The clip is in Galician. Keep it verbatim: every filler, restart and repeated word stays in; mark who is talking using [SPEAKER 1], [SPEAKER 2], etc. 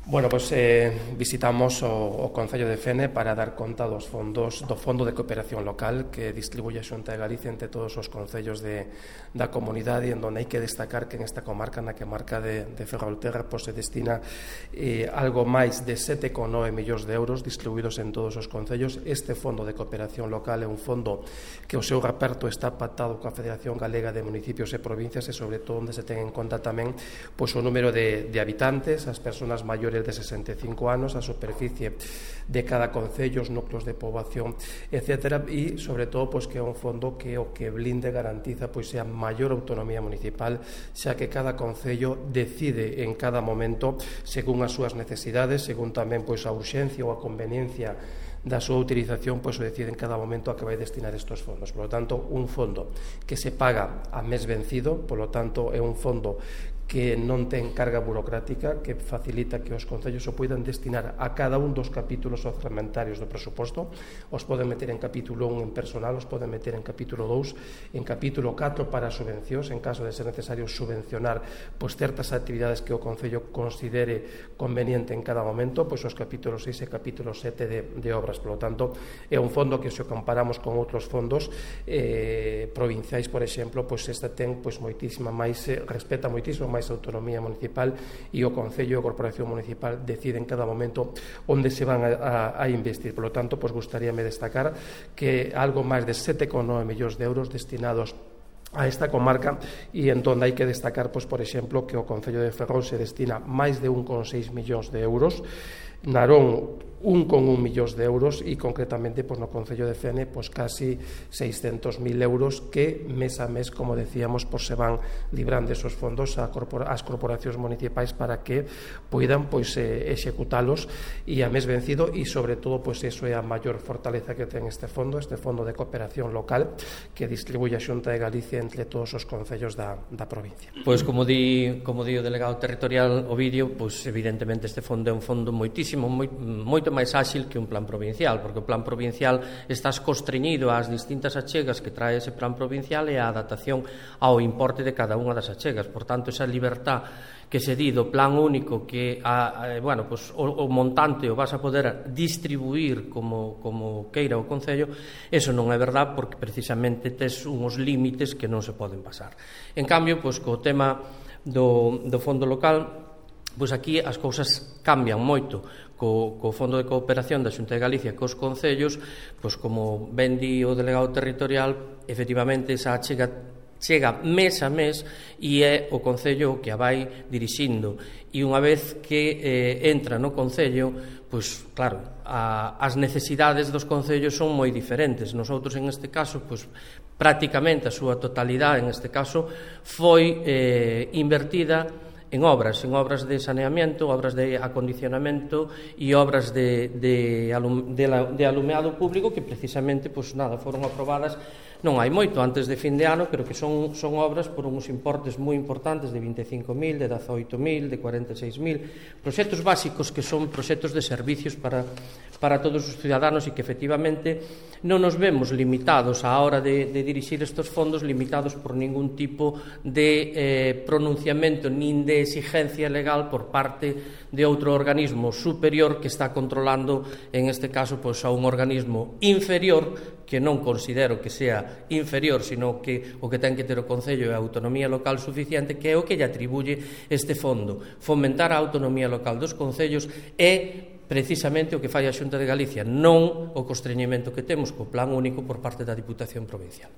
[SPEAKER 1] Bueno, pois eh, visitamos o, o Concello de Fene para dar conta dos fondos do Fondo de Cooperación Local que distribuye a Xunta de Galicia entre todos os concellos de, da comunidade, en donde hai que destacar que en esta comarca, na que marca de, de Ferrolterra, pois se destina eh, algo máis de sete coma nove millóns de euros distribuídos en todos os concellos. Este Fondo de Cooperación Local é un fondo que o seu reparto está pactado coa Federación Galega de Municipios e Provincias, e sobre todo onde se ten en conta tamén pois, o número de, de habitantes, as persoas maiores de sesenta e cinco anos, a superficie de cada concello, os núcleos de poboación, etcétera, e sobre todo pois, que é un fondo que o que blinde garantiza pois a maior autonomía municipal, xa que cada concello decide en cada momento según as súas necesidades, según tamén pois a urxencia ou a conveniencia da súa utilización, pois o decide en cada momento a que vai destinar estes fondos. Por lo tanto, un fondo que se paga a mes vencido, por lo tanto é un fondo que non ten carga burocrática, que facilita que os concellos o poidan destinar a cada un dos capítulos orzamentarios do presuposto. Os poden meter en capítulo un en personal, os poden meter en capítulo dous, en capítulo catro para subvencións, en caso de ser necesario subvencionar pois certas actividades que o concello considere conveniente en cada momento, pois os capítulos seis e capítulo sete de, de obras. Por lo tanto, é un fondo que, se o comparamos con outros fondos eh, provinciais, por exemplo, pois esta ten pois moitísima máis, eh, respeta moitísimo máis autonomía municipal, e o Concello e a Corporación Municipal deciden en cada momento onde se van a, a, a investir. Por lo tanto, pues, gustaríame destacar que algo máis de sete coma nove millóns de euros destinados a esta comarca, e en donde hai que destacar, pues, por exemplo, que o Concello de Ferrol se destina máis de un coma seis millóns de euros, Narón un coma un millóns de euros, e concretamente pois, no Concello de Fene pois, casi seiscentos mil euros que mes a mes, como decíamos, pois, se van librando esos fondos a corpora, as corporacións municipais para que poidan pois, eh, executalos e a mes vencido, e sobre todo pois, eso é a maior fortaleza que ten este fondo, este fondo de cooperación local que distribuye a Xunta de Galicia entre todos os concellos da, da provincia.
[SPEAKER 2] Pois como di, como di o delegado territorial Ovidio, pois evidentemente este fondo é un fondo moitísimo, moi, moito máis áxil que un plan provincial, porque o plan provincial estás constreñido ás distintas achegas que trae ese plan provincial e a adaptación ao importe de cada unha das achegas. Por tanto, esa libertad que se di do plan único, que a, a, bueno, pues, o, o montante o vas a poder distribuir como, como queira o Concello, eso non é verdad, porque precisamente tes unhos límites que non se poden pasar. En cambio, pues, co tema do, do fondo local, pois aquí as cousas cambian moito. Co, co Fondo de Cooperación da Xunta de Galicia cos concellos, pois como ben di o delegado territorial, efectivamente esa chega chega mes a mes, e é o Concello que a vai dirixindo, e unha vez que eh, entra no Concello, pois claro, a, as necesidades dos concellos son moi diferentes. Nosotros en este caso, pois prácticamente a súa totalidade en este caso foi eh, invertida en obras, en obras de saneamiento, obras de acondicionamento e obras de, de, alum, de, la, de alumeado público que precisamente, pois nada, foron aprobadas non hai moito, antes de fin de ano, pero que son, son obras por uns importes moi importantes de vinte e cinco mil, de dezaoito mil, de cuarenta e seis mil, proxectos básicos que son proxectos de servicios para, para todos os ciudadanos, e que efectivamente non nos vemos limitados á hora de, de dirixir estes fondos, limitados por ningún tipo de eh, pronunciamento nin de exigencia legal por parte de outro organismo superior que está controlando, en este caso, pois, a un organismo inferior, que non considero que sea inferior, sino que o que ten que ter o Concello é a autonomía local suficiente, que é o que lle atribuye este fondo. Fomentar a autonomía local dos concellos é precisamente o que fai a Xunta de Galicia, non o constreñimento que temos co plan único por parte da Diputación Provincial.